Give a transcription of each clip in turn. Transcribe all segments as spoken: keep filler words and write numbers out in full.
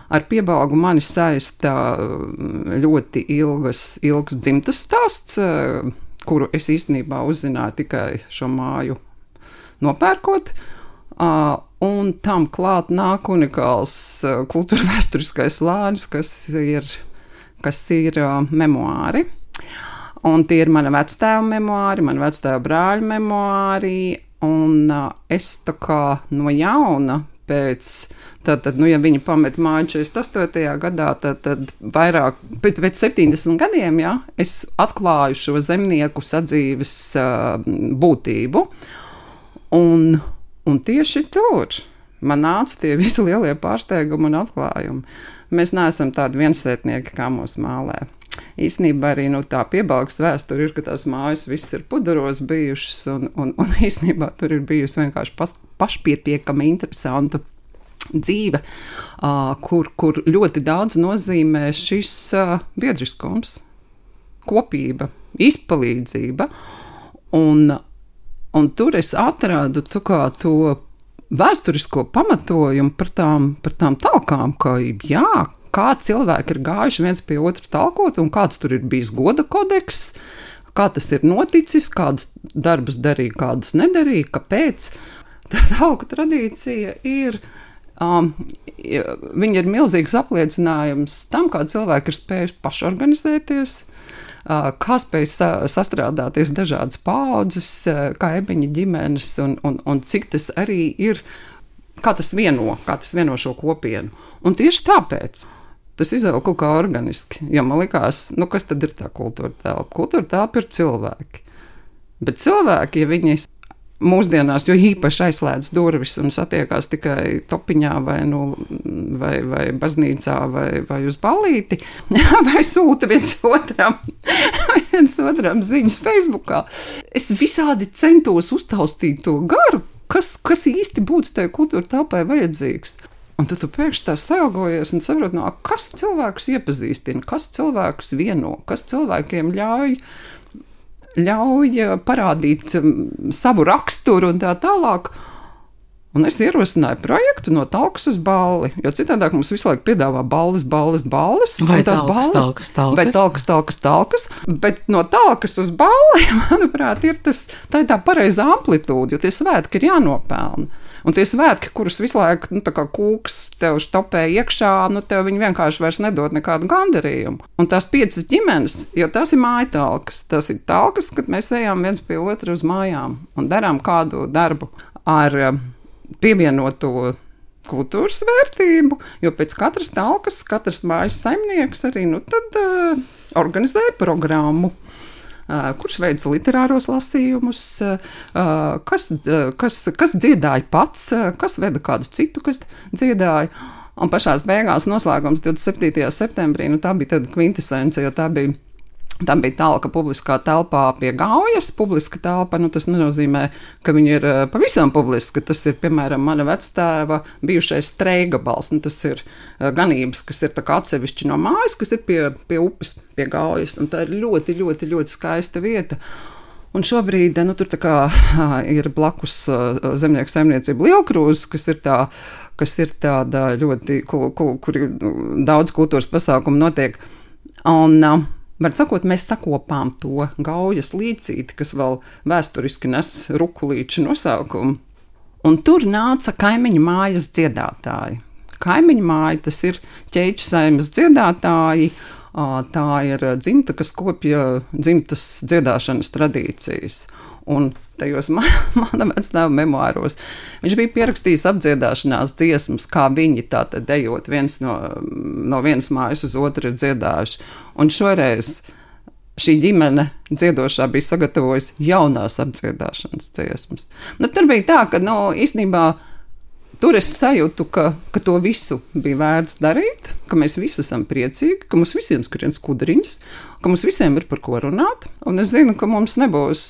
ar Piebalgu mani saista ļoti ilgas, ilgs dzimtas stāsts, kuru es īstenībā uzzināju tikai šo māju nopērkot. Un tam klāt nāk unikāls kultūra vēsturiskais slānis, kas ir, kas ir memoāri. Un tie ir mana vectēva memoāri, mana vectēva brāļa memoāri, un es tā kā no jauna pēc, tad, tad, nu, ja viņi pamet māju četrdesmit astotajā gadā, tad, tad vairāk, pēc, pēc septiņdesmit gadiem, ja, es atklāju šo zemnieku sadzīves uh, būtību, un, un tieši tur man nāca tie visi lielie pārsteigumi un atklājumi. Mēs neesam tādi viensētnieki, kā mūs mālē. Īstenībā arī nu, tā Piebalgas vēsture ir, ka tās mājas viss ir pudaros bijušas, un, un, un īstenībā tur ir bijusi vienkārši pas, pašpietiekami interesanta dzīve, uh, kur, kur ļoti daudz nozīmē šis uh, biedriskums, kopība, izpalīdzība, un, un tur es atradu tā kā to vēsturisko pamatojumu par tām, par tām talkām, ka jā, kā cilvēki ir gājuši viens pie otra talkot, un kāds tur ir bijis goda kodeks, kā tas ir noticis, kādus darbus darīja, kādus nedarīja, kāpēc. Tā talku tradīcija ir, um, viņa ir milzīgs apliecinājums tam, kā cilvēki ir spējuši pašorganizēties, uh, kā spēj sa sastrādāties dažādas paaudzes, uh, kaimiņu ģimenes, un, un, un cik tas arī ir, kā tas vieno, kā tas vieno šo kopienu. Un tieši tāpēc tas izauga kaut kā organiski, jo man likās, nu kas tad ir tā kultūra telpa? Kultūra telpa ir cilvēki. Bet cilvēki, ja viņi mūsdienās, jo īpaši aizslēdz durvis un satiekās tikai topiņā vai, nu, vai, vai baznīcā vai, vai uz ballīti, vai sūta viens otram, viens otram ziņas Facebookā. Es visādi centos uztaustīt to garu, kas, kas īsti būtu tai kultūra telpai vajadzīgs. Un tad tu pēkšņi tā sailgojies un saproti, no, kas cilvēkus iepazīstina, kas cilvēkus vieno, kas cilvēkiem ļauj, ļauj parādīt savu raksturu un tā tālāk. Un es ierosināju projektu no talkas uz balli, jo citādāk mums visu laiku piedāvā balles, balles, balles. Vai talkas, talkas, talkas. Vai talkas, talkas, talkas. Bet no talkas uz balli, manuprāt, ir tas, tā ir tā pareizā amplitūda, jo tie svētki ir jānopelna. Un tie svētki, kurus visu laiku, nu, tā kā kūks tev štopē iekšā, nu, tev viņi vienkārši vairs nedod nekādu gandarījumu. Un tās piecas ģimenes, jo tās ir mājatalkas, tās ir talkas, kad mēs ejam viens pie otra uz mājām un darām kādu darbu ar pievienoto kultūras vērtību, jo pēc katras talkas, katras mājas saimnieks arī, nu, tad uh, organizēja programmu. Uh, kurš veica literāros lasījumus, uh, kas, uh, kas, kas dziedāja pats, uh, kas veda kādu citu, kas dziedāja. Un pašās beigās noslēgums divdesmit septītajā septembrī, nu tā bija tāda kvintesence, jo tā bija, tā bija talka publiskā telpā pie Gaujas. Publiska telpa, nu tas nenozīmē, ka viņa ir uh, pavisam publiska. Tas ir, piemēram, mana vectēva bijušais Streigabals. Nu, tas ir uh, ganības, kas ir tā kā atsevišķi no mājas, kas ir pie, pie upes, pie Gaujas. Un tā ir ļoti, ļoti, ļoti skaista vieta. Un šobrīd, nu, tur tā kā uh, ir blakus uh, zemnieku saimniecība Lielkrūzes, kas ir tā, kas ir tāda ļoti, kur, kur, kur daudz kultūras pasākumu notiek. Un uh, var sakot, mēs sakopām to Gaujas līcīti, kas vēl vēsturiski nes Rukulīču nosaukumu. Un tur nāca kaimiņu mājas dziedātāji. Kaimiņu māja, tas ir ķeiču saimes dziedātāji, tā ir dzimta, kas kopja dzimtas dziedāšanas tradīcijas. Un tajos mana vectēva memoāros viņš bija pierakstījis apdziedāšanās dziesmas, kā viņi tātad dejot viens no, no vienas mājas uz otru dziedājuši. Un šoreiz šī ģimene dziedošā bija sagatavojusi jaunās apdziedāšanas dziesmas. Nu, tur bija tā, ka, nu, īstenībā tur es sajūtu, ka, ka to visu bija vērts darīt, ka mēs visi esam priecīgi, ka mums visiem skrien skudriņas, ka mums visiem ir par ko runāt. Un es zinu, ka mums nebūs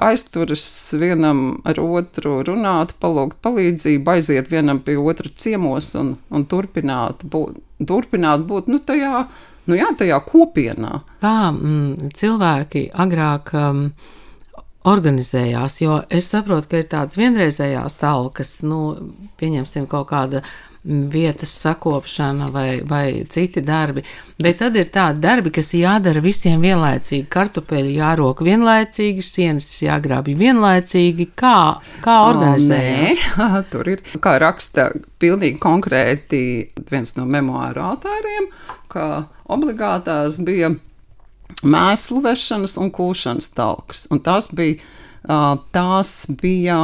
aizturas vienam ar otru runāt, palūgt palīdzību, aiziet vienam pie otra ciemos un, un turpināt būt, turpināt būt nu, tajā, nu, jā, tajā kopienā. Kā mm, cilvēki agrāk um, organizējās, jo es saprotu, ka ir tādas vienreizējās talkas, nu, pieņemsim kaut kāda vietas sakopšana vai, vai citi darbi, bet tad ir tādi darbi, kas jādara visiem vienlaicīgi. Kartupeļi jārok vienlaicīgi, sienas jāgrābj vienlaicīgi. Kā, kā organizējas? O, nē, tur ir, kā raksta pilnīgi konkrēti viens no memoāru autāriem, ka obligātās bija mēslu vešanas un kūšanas talks. Un tās bija, tās bija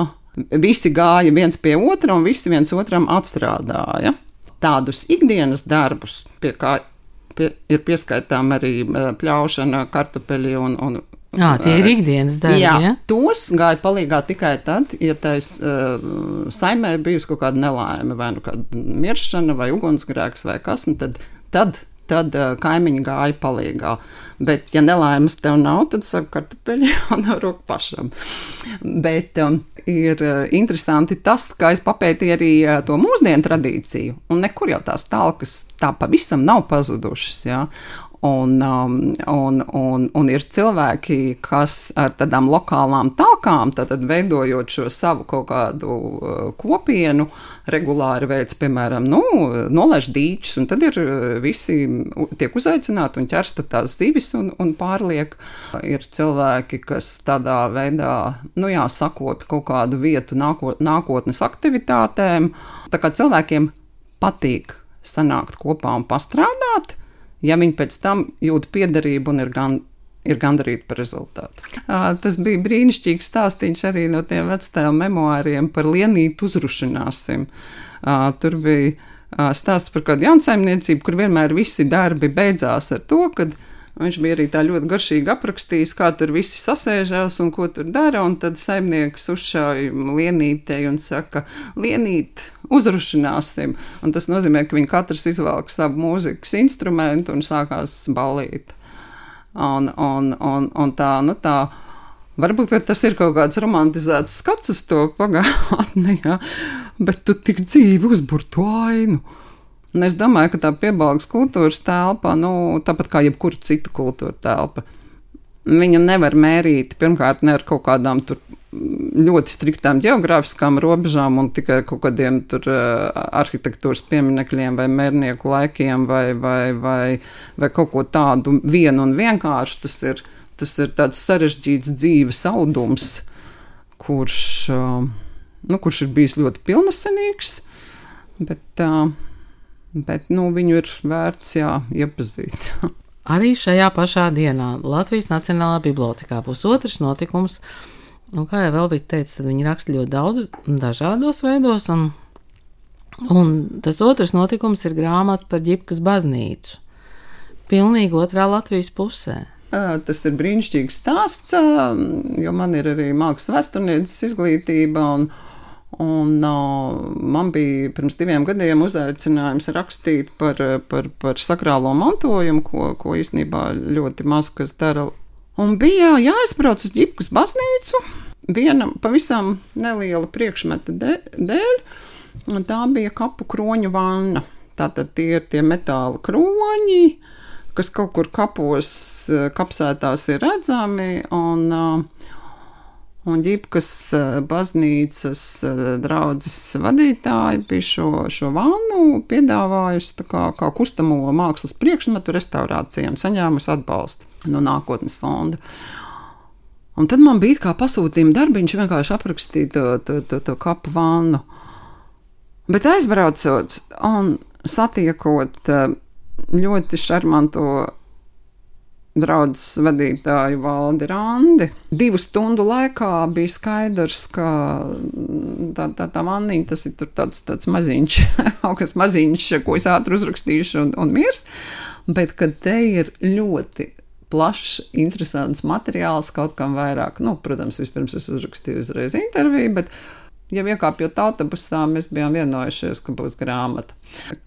visi gāja viens pie otra un visi viens otram atstrādāja. Tādus ikdienas darbus, pie kā pie, ir pieskaitām arī pļaušana, kartupeļi un, un Jā, tie ir ikdienas darbi, jā, ja? Tos gāja palīgā tikai tad, ja tais uh, saimē bijusi kaut kāda nelaime, vai nu kāda miršana, vai ugunsgrēks, vai kas, un tad, tad, tad uh, kaimiņi gāja palīgā. Bet, ja nelaimes tev nav, tad saka kartupeļi un roku pašam. Bet um, ir uh, interesanti tas, ka es papētīju arī uh, to mūsdienu tradīciju, un nekur jau tās talkas tā pavisam nav pazudušas, jā. Un, um, un, un, un ir cilvēki, kas ar tādām lokālām talkām, tātad veidojot šo savu kaut kādu uh, kopienu, regulāri veids, piemēram, nu, nolaiž dīķus, un tad ir visi tiek uzaicināti un ķersta tās zivis un, un pārliek. Ir cilvēki, kas tādā veidā, nu jā, sakopi kaut kādu vietu nākot, nākotnes aktivitātēm. Tā kā cilvēkiem patīk sanākt kopā un pastrādāt, ja viņi pēc tam jūt piederību un ir, gan, ir gandarīti par rezultātu. Uh, tas bija brīnišķīgs stāstīns arī no tiem vectēju memoāriem par lienītu uzrušināsim. Uh, tur bija uh, stāsts par kādu jaunsaimniecību, kur vienmēr visi darbi beidzās ar to, kad viņš bija arī tā ļoti garšīgi aprakstījis, kā tur visi sasēžās un ko tur dara, un tad saimnieks uzšauj lienītei un saka, lienīt, uzrušināsim. Un tas nozīmē, ka viņi katrs izvelk savu mūzikas instrumentu un sākās ballīt. Un, un, un, un tā, nu tā, varbūt tas ir kaut kāds romantizēts skats uz to pagātni, ja, bet tu tik dzīvi uzbur to ainu. Un es domāju, ka tā Piebalgas kultūras telpa, nu, tāpat kā jebkura cita kultūra telpa, viņa nevar mērīt, pirmkārt, ne ar kaut kādām tur ļoti striktām geogrāfiskām robežām un tikai kaut kādiem tur uh, arhitektūras pieminekļiem vai mērnieku laikiem vai, vai, vai, vai kaut ko tādu vienu un vienkārši. Tas ir, tas ir tāds sarežģīts dzīves audums, kurš, uh, nu, kurš ir bijis ļoti pilnasenīgs, bet... Uh, Bet, nu, viņu ir vērts, jā, iepazīt. Arī šajā pašā dienā Latvijas Nacionālā bibliotekā būs otrs notikums, un kā jau vēl bija teicis, tad viņi raksta ļoti daudz dažādos veidos, un, un tas otrs notikums ir grāmata par Ģipkas baznīcu. Pilnīgi otrā Latvijas pusē. Tas ir brīnišķīgs stāsts, jo man ir arī mākslas vēsturnieces izglītība, un Un uh, man bija pirms diviem gadiem uzaicinājums rakstīt par, par, par sakrālo mantojumu, ko, ko īstenībā ļoti maz kas dara. Un bija jāizbrauc uz Ģipkas baznīcu viena pavisam neliela priekšmeta dēļ, un tā bija kapu kroņu vanna. Tātad tie ir tie metāla kroņi, kas kaut kur kapos, kapsētās ir redzami, un... Uh, Un Ģipkas baznīcas draudzes vadītāji bija šo, šo vannu piedāvājusi tā kā, kā kustamo mākslas priekšmetu restaurācijām, saņēmusi atbalstu no nākotnes fonda. Un tad man bija kā pasūtījuma darbiņš vienkārši aprakstīt to, to, to, to kapu vannu. Bet aizbraucot un satiekot ļoti šarmanto draudzes vadītāju Valdi Randi. Divu stundu laikā bija skaidrs, ka tā, tā, tā vanniņa, tas ir tur tāds, tāds maziņš, kaut kas maziņš, ko es ātri uzrakstīšu un, un mirst, bet kad te ir ļoti plašs, interesants materiāls, kaut kam vairāk, nu, protams, vispirms es uzrakstīju uzreiz interviju, bet ja iekāpjot autobusā, mēs bijām vienojušies, ka būs grāmata.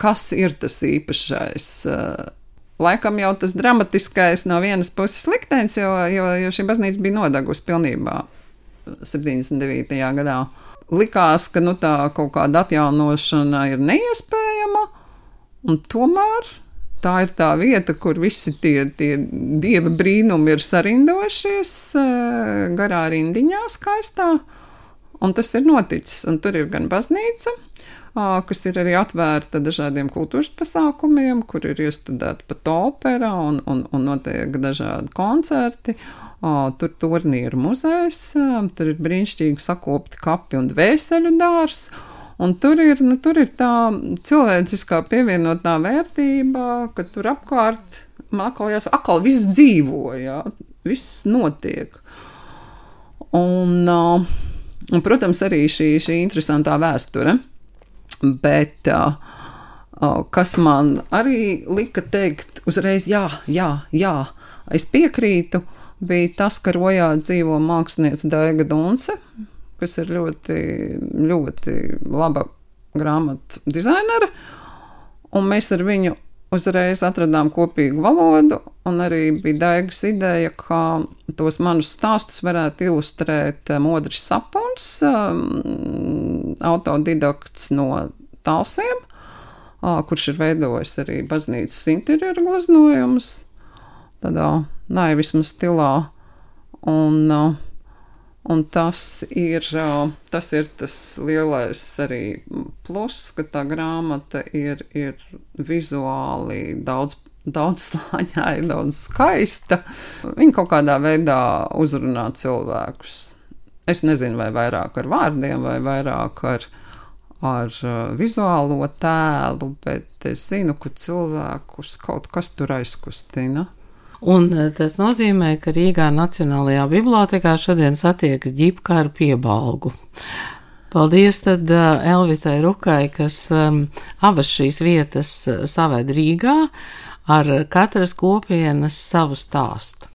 Kas ir tas īpašais? Laikam jau tas dramatiskais no vienas puses liktenis, jo, jo, jo šī baznīca bija nodegusi pilnībā septiņdesmit devītajā gadā. Likās, ka nu, tā kaut kāda atjaunošana ir neiespējama, un tomēr tā ir tā vieta, kur visi tie, tie dieva brīnumi ir sarindojušies garā rindiņā skaistā, un tas ir noticis, un tur ir gan baznīca, kas ir arī atvērta dažādiem kultūras pasākumiem, kur ir iestudēta pat opera un, un, un notiek dažādi koncerti. Tur turnī ir muzejs, tur ir brīnišķīgi sakopti kapi un dvēseļu dārs, un tur ir, nu, tur ir tā cilvēciskā pievienotā vērtība, ka tur apkārt, atkal jāsaka, atkal viss dzīvo, jā, viss notiek. Un, un, protams, arī šī, šī interesantā vēsture. Bet uh, uh, kas man arī lika teikt uzreiz, jā, jā, jā, es piekrītu, bija tas, ka Rojā dzīvo māksliniece Daiga Dunce, kas ir ļoti, ļoti laba grāmatu dizainere, un mēs ar viņu uzreiz atradām kopīgu valodu, un arī bija Daigas ideja, ka tos manus stāstus varētu ilustrēt Modris Sapons, um, autodidakts no Talsiem, uh, kurš ir veidojis arī baznīcas interjeru gleznojumus, tādā naivisma stilā, un, uh, un tas ir, uh, tas ir tas lielais arī plus, ka tā grāmata ir, ir vizuāli daudz, daudz slāņāja, daudz skaista. Viņa kaut kādā veidā uzrunā cilvēkus. Es nezinu, vai vairāk ar vārdiem, vai vairāk ar, ar uh, vizuālo tēlu, bet es zinu, ka cilvēkus kaut kas tur aizkustina. Un tas nozīmē, ka Rīgā Nacionālajā bibliotēkā šodien satiekas ģipka ar piebalgu. Paldies tad Elvitai Rukai, kas um, abas šīs vietas saved Rīgā ar katras kopienas savu stāstu.